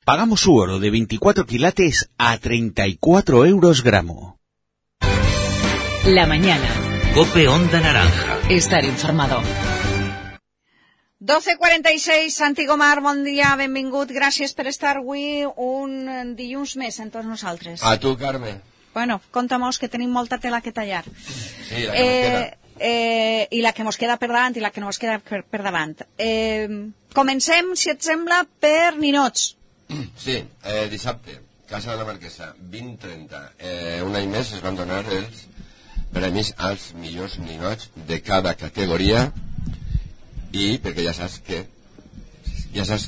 Pagamos su oro de 24 quilates a 34 euros gramo. La mañana. COPE Onda Naranja. Estar informado. 12:46, Santi Gomar, bon dia, benvingut. Gràcies per estar avui un dilluns més en tots nosaltres. A tu, Carme. Bueno, conta-mos que tenim molta tela que tallar. Sí, la que mos queda. I la que mos queda per davant i la que no mos queda per davant. Comencem, si et sembla, per ninots. Sí, dissabte, Casa de la Marquesa, 20:30. Un any més es van donar els premis als millors ninots de cada categoria i perquè ja saps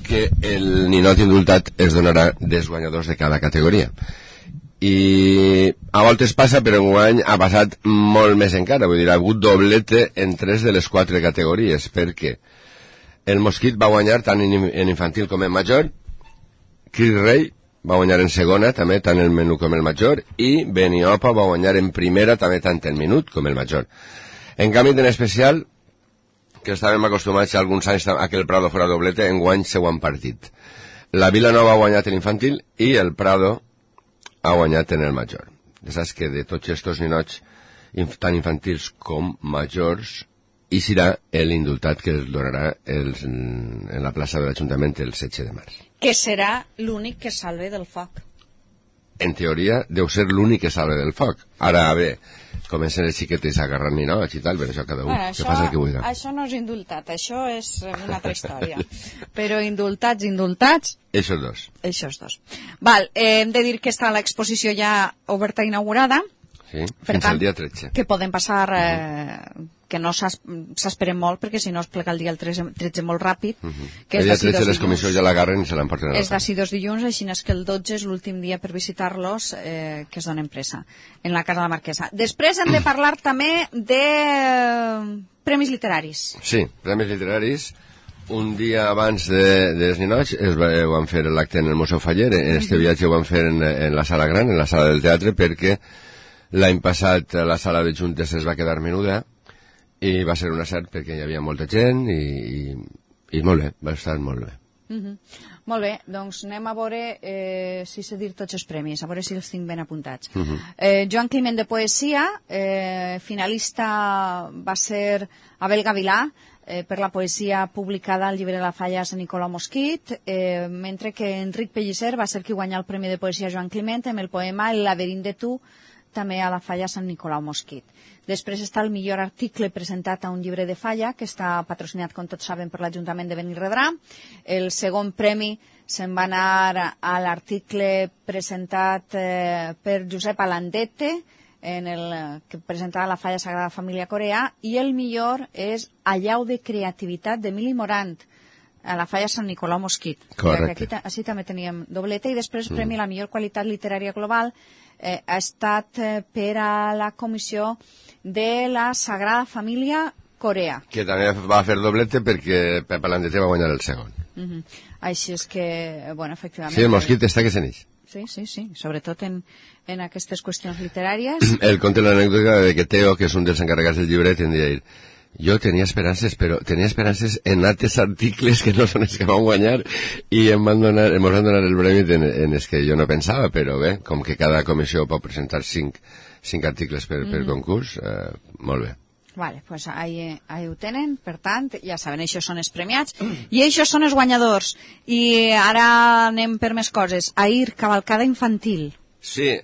que el ninot indultat es donarà dels guanyadors de cada categoria. I a voltes passa, però enguany ha passat molt més encara, vull dir, ha hagut doblete en 3 de les 4 categories, perquè el Mosquit va guanyar tant en infantil com en major, Crit Rei va guanyar en segona, també tant el menú com el major, i Beniopa va guanyar en primera, també tant el minut com el major. En canvi, en especial, que estàvem acostumats alguns anys a que el Prado fora doblete, enguany se ho han partit. La Vilanova ha guanyat en infantil i el Prado ha guanyat en el major. Ja saps que de tots aquests ninots, tant infantils com majors, i serà l'indultat que es donarà en la plaça de l'Ajuntament el 16 de març. Que serà l'únic que salve del foc. En teoria, deu ser l'únic que salve del foc. Ara, bé, comencen els xiquetes a agarrar ninots i tal, però això cada un, que faci el que vulgui. Això no és indultat, això és una altra història. Però indultats... Eixos dos. Val, hem de dir que està l'exposició ja oberta i inaugurada. Sí, fins al dia 13. Que poden passar... que no s'esperen molt, perquè si no es plega el dia el 13 molt ràpid. El dia 13 les comissions ja l'agarren i se l'emporten a la és d'ací 2 dilluns, així és que el 12 és l'últim dia per visitar-los, que es donen pressa, en la Casa de la Marquesa. Després hem de parlar també de premis literaris. Sí, premis literaris. Un dia abans dels ninots van fer l'acte en el Museu Faller, este viatge ho van fer en la sala gran, en la sala del teatre, perquè l'any passat la sala de juntes es va quedar menuda, i va ser un acert perquè hi havia molta gent i molt bé, va estar molt bé. Molt bé, doncs anem a veure si sé dir tots els premis, a veure si els tinc ben apuntats. Joan Climent de Poesia, finalista va ser Abel Gavilà, per la poesia publicada al llibre de la Falla Sant Nicolau Mosquit, mentre que Enric Pellicer va ser qui guanyà el Premi de Poesia Joan Climent amb el poema El laberint de tu, també a la Falla Sant Nicolau Mosquit. Després està el millor article presentat a un llibre de Falla, que està patrocinat, com tots saben, per l'Ajuntament de Benirredrà. El segon premi se'n va anar a l'article presentat per Josep Alandete, que presentava la Falla Sagrada Família Corea, i el millor és Allau de creativitat d'Emili Morant, a la Falla Sant Nicolau Mosquit. Correcte. Així també teníem dobleta, i després premi a la millor qualitat literària global ha estat per a la comissió de la Sagrada Família Corea. Que també va fer doblete perquè Pep Alandete va guanyar el segon. Així és que, bueno, efectivament... Sí, el Mosquit està que se n'ix. Sí, sobretot en aquestes qüestions literàries. El conte l'anècdota de que Teo, que és un dels encarregats del llibre, tindria a dir: jo tenia esperances en altres articles que no són els que van guanyar i ens van donar el premi en els que jo no pensava, però bé, com que cada comissió pot presentar 5 articles per concurs, molt bé. Vale, pues ahí ho tenen, per tant, ja saben, això són els premiats i això són els guanyadors. I ara anem per més coses. Ahir, cavalcada infantil. Sí,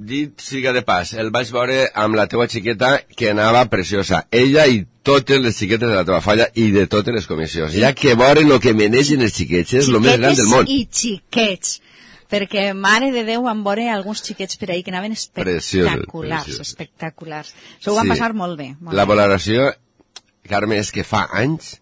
dit siga de pas, el vaig veure amb la teua xiqueta, que anava preciosa. Ella i totes les xiquetes de la teva falla i de totes les comissions. Hi ha que veure el que menegen els xiquets, és el més gran del món. Xiquetes i xiquets, perquè, mare de Déu, van veure alguns xiquets per ahir que anaven espectaculars. S'ho van passar molt bé. La valoració, Carme, és que fa anys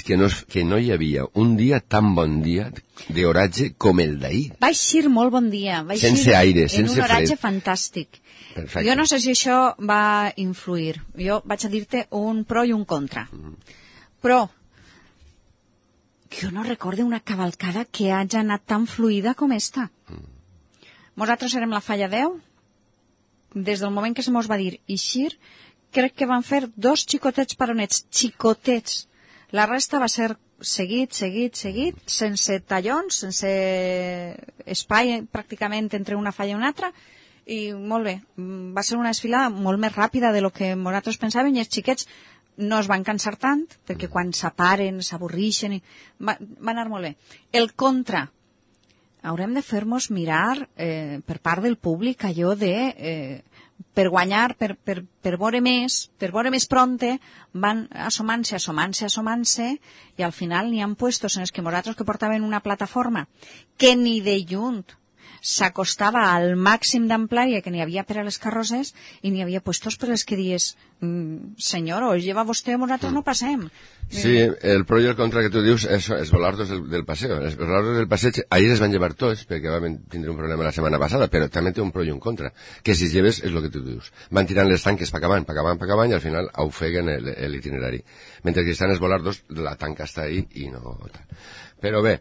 que no hi havia un dia tan bon dia d'oratge com el d'ahir. Va eixir molt bon dia. Sense aire, sense fred. En un oratge fantàstic. Perfecte. Jo no sé si això va influir. Jo vaig a dir-te un pro i un contra. Però jo no recorde una cavalcada que hagi anat tan fluida com esta. Nosaltres érem la Falla 10. Des del moment que se mos va dir eixir, crec que van fer 2 xicotets paronets, xicotets. La resta va ser seguit, sense tallons, sense espai pràcticament entre una falla i una altra, i molt bé, va ser una desfilada molt més ràpida de lo que nosaltres pensàvem, i els xiquets no es van cansar tant, perquè quan s'aparen, s'avorrixen, va anar molt bé. El contra, haurem de fer-nos mirar per part del públic allò de... per guanyar, per veure més pronte, van assomant-se, i al final n'hi ha puestos en els que nosaltres que portaven una plataforma que ni de lluny s'acostava al màxim d'amplària que n'hi havia per a les carrosses, i n'hi havia puestos per els que dius, senyor, o lleva vostè o nosaltres no passem. Sí, el pro i el contra que tu dius és els volardos del paseo. Els volardos del passeig, ahir es van llevar tots, perquè van tindre un problema la setmana passada, però també té un pro i un contra, que si lleves és el que tu dius. Van tirant les tanques pa acabant, i al final ofeguen l'itinerari. Mentre que estan els volardos, la tanca està ahí i no... Però bé,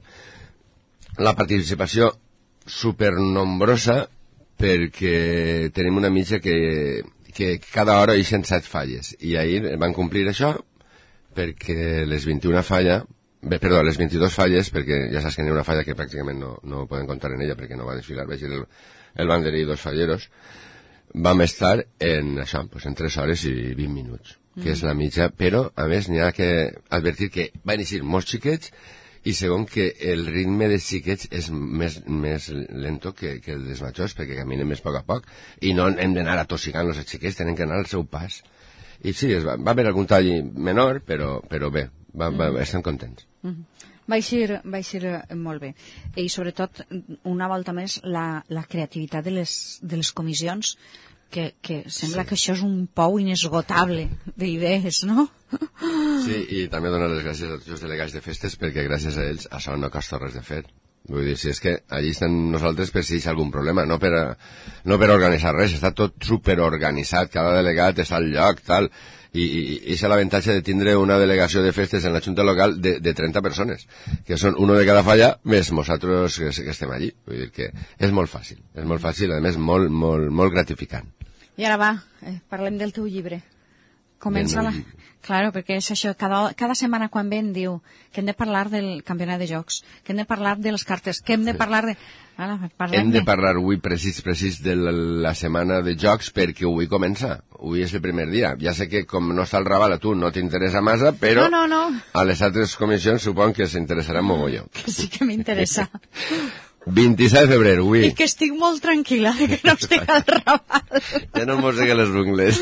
la participació supernombrosa, perquè tenim una mitja que cada hora ixen 7 falles, i ahir van complir això perquè les 22 falles, perquè ja saps que n'hi ha una falla que pràcticament no poden comptar en ella perquè no va desfilar, vaig dir el banderí i 2 falleros, vam estar en això, en 3 hores i 20 minuts, que és la mitja, però a més n'hi ha que advertir que van eixir molts xiquets, i segon que el ritme dels xiquets és més lento que el dels majors, perquè caminen més a poc, i no hem d'anar atossigant els xiquets, tenen que anar al seu pas. I sí, va haver algun tall menor, però bé, estem contents. Va eixir molt bé. I sobretot, una volta més, la creativitat de les comissions, que sembla que això és un pou inesgotable d'idees, no? Sí, i també donar les gràcies a tots els delegats de festes, perquè gràcies a ells això no costa res de fer. Vull dir, si és que allí estan nosaltres per si hi ha algun problema, no per organitzar res, està tot superorganitzat, cada delegat està al lloc, tal, i és l'avantatge de tindre una delegació de festes en la Junta Local de 30 persones, que són uno de cada falla, més nosaltres que estem allí. Vull dir que és molt fàcil, a més molt gratificant. I ara va, parlem del teu llibre. Comença la... Claro, perquè és això, cada setmana quan ven diu que hem de parlar del campionat de jocs, que hem de parlar de les cartes, que hem de parlar de... Hem de parlar avui precís de la setmana de jocs, perquè avui comença, avui és el primer dia. Ja sé que com no està el Raval a tu no t'interessa massa, però no. A les altres comissions suponc que s'interessarà mogolló. Que sí que m'interessa. 27 de febrer, avui. I que estic molt tranquil·la de que no estic al Raval. Ja no em mosseguen les ungles.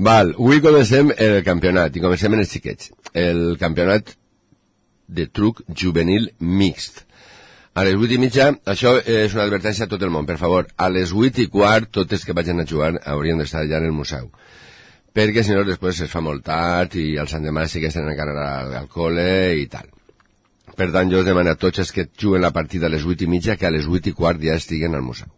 Val, avui comencem el campionat, i comencem en els xiquets. El campionat de truc juvenil mixt. A les 8:30, això és una advertència a tot el món, per favor. A les 8:15, totes que vagin a jugar haurien d'estar allà en el museu. Perquè, si no, després es fa molt tard i els endemà sí que estan encara al col·le i tal. Per tant, jo us demano a tots els que juguen la partida a les 8:30 que a les 8:15 ja estiguen al museu.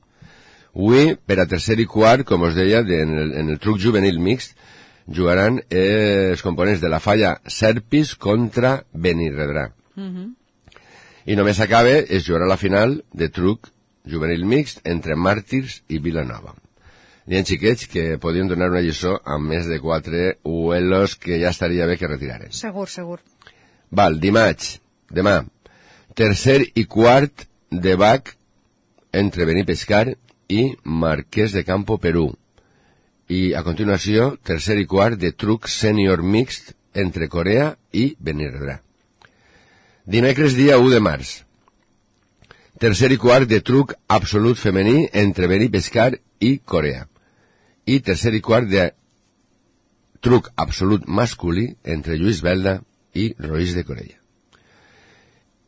Avui, per a tercer i quart, com us deia, en el truc juvenil mixt, jugaran els components de la falla Serpis contra Benirredrà. I només s'acaba, es jugarà la final de truc juvenil mixt entre Màrtirs i Vilanova. Hi ha xiquets que podien donar una lliçó amb més de 4 uelos que ja estaria bé que retiraren. Segur. Val, demà, tercer i quart de BAC entre Benipescar i Marquès de Campo, Perú. I a continuació, tercer i quart de truc sènior mixt entre Corea i Benirredrà. Dimecres, dia 1 de març. Tercer i quart de truc absolut femení entre Benipescar i Corea. I tercer i quart de truc absolut masculí entre Lluís Belda i Roís de Corella.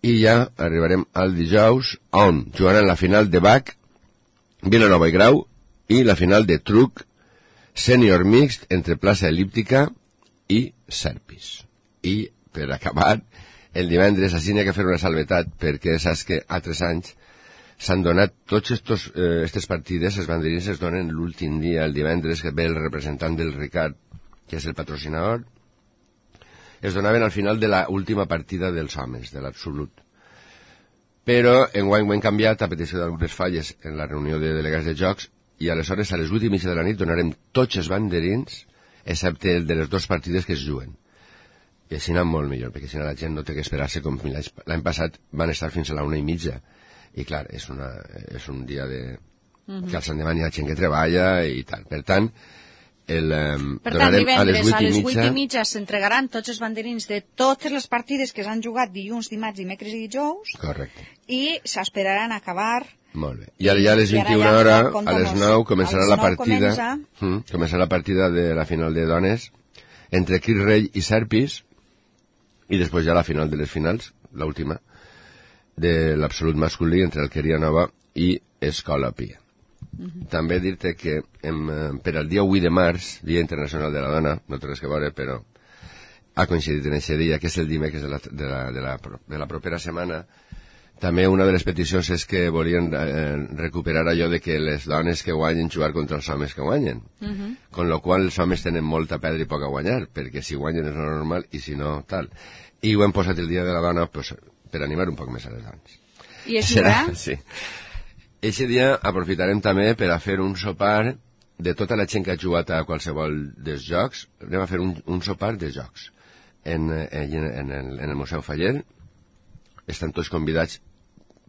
I ja arribarem al dijous, on jugaran la final de BAC Vilanova i Grau i la final de truc sènior mixt entre Plaça Elíptica i Serpis. I, per acabar, el divendres, així n'hi ha que fer una salvetat, perquè saps que altres anys s'han donat tots aquestes partides, les banderines es donen l'últim dia, el divendres, que ve el representant del Ricard, que és el patrocinador, es donaven al final de la última partida dels homes, de l'absolut. Però enguany ho hem canviat a petició d'algunes falles en la reunió de delegats de jocs, i aleshores a les 8:30 de la nit donarem tots els banderins, excepte el de les 2 partides que es juguen. que si anant molt millor, perquè si no la gent no té que esperar-se com l'any passat van estar fins a la 1:30, i clar, és un dia que al Sant Demà hi ha gent que treballa i tal. Per tant, divendres a les 8:30 s'entregaran tots els banderins de totes les partides que s'han jugat dilluns, dimarts, dimecres i dijous. Correcte. I s'esperaran a acabar. Molt bé. I ara ja a les 21 hores, a les 9, començarà la partida. Començarà la partida de la final de dones entre Cris Rei i Serpis, i després ja la final de les finals, l'última, de l'absolut masculí entre Alqueria Nova i Escola Pia. També dir-te que per al dia 8 de març, Dia Internacional de la Dona, no té res que veure, però ha coincidit en aquest dia, que és el dimecres de la propera setmana. També una de les peticions és que volien recuperar allò de que les dones que guanyen jugar contra els homes que guanyen. Con lo qual els homes tenen molt a perdre i poc a guanyar, perquè si guanyen és normal i si no, tal. I ho hem posat el Dia de la Dona pues, per animar un poc més a les dones. I es jugarà? Sí. Eixe dia aprofitarem també per a fer un sopar de tota la gent que ha jugat a qualsevol dels jocs. Anem a fer un sopar de jocs en el Museu Faller. Estan tots convidats,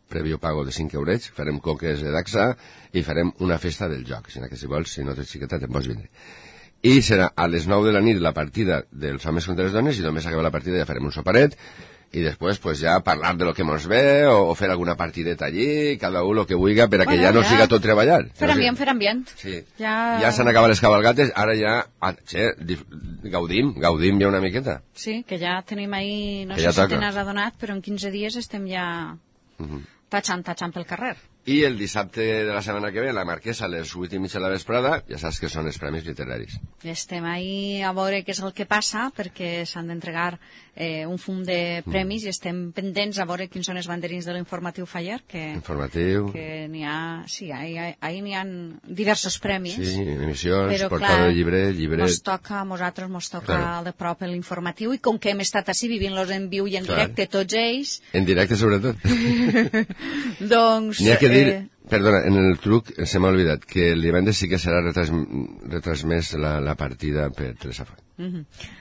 previo pago de 5 eurets, farem coques de Daxa i farem una festa del joc, que si vols, si no tens xiqueta, te'n pots vindre. I serà a les 9 de la nit la partida dels homes contra les dones, i només acaba la partida ja farem un soparet, i després pues, ja parlar de lo que mos ve, o fer alguna partideta allí, cada un lo que vulgui, per a que ja no siga tot treballar. Fer ambient. Sí. Ja s'han acabat les cabalgates, ara ja, gaudim ja una miqueta. Sí, que ja tenim ahí, no sé si te n'has adonat, però en 15 dies estem ja tachant pel carrer. I el dissabte de la setmana que ve, la Marquesa, a les 8:30 de la vesprada, ja saps que són els premis literaris. Estem ahí a veure què és el que passa, perquè s'han d'entregar un fum de premis i estem pendents a veure quins són els banderins de l'informatiu Faller, que n'hi ha, sí, ahí n'hi ha diversos premis. Sí, emissions, portada de llibret. A nosaltres mos toca de prop l'informatiu, i com que hem estat així vivint-los en viu i en directe, tots ells... En directe, sobretot. Doncs... N'hi ha que dir, perdona, en el truc se m'ha oblidat que el divendres sí que serà retransmès la partida per Teresa Font. O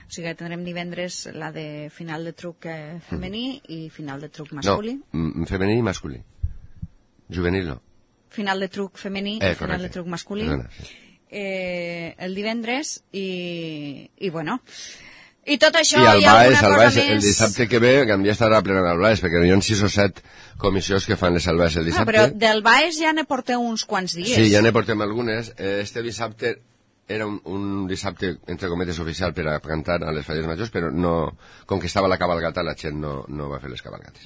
sigui que tindrem divendres la de final de truc femení i final de truc masculí. No, femení i masculí. Juvenil no. Final de truc femení i final de truc masculí. Perdona, sí. El divendres i bueno... I tot això i hi ha alguna cosa més... El dissabte que ve, que ja estarà plenant el Baes, perquè hi ha 6 o 7 comissions que fan les al Baes el dissabte. Però del Baes ja ne porteu uns quants dies. Sí, ja ne portem algunes. Este dissabte era un dissabte, entre cometes, oficial per a cantar a les Falles Majors, però no, com que estava la cabalgata, la gent no va fer les cabalgates.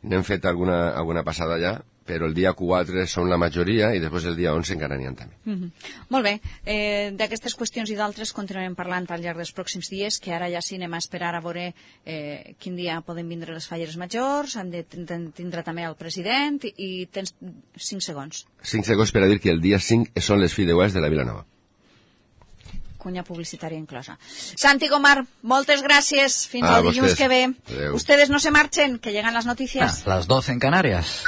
N'hem fet alguna passada ja, però el dia 4 són la majoria i després el dia 11 encara n'hi ha també. Molt bé. D'aquestes qüestions i d'altres continuarem parlant al llarg dels pròxims dies, que ara ja sí anem a esperar a veure quin dia poden vindre les Falles Majors, han de tindre també el president, i tens 5 segons. 5 segons per a dir que el dia 5 són les Fideues de la Vilanova. Cuña publicitària inclosa. Santi Gomar, moltes gràcies. Fins al dilluns que ve. Adeu. Ustedes no se marchen, que llegan las noticias. Las 12 en Canarias.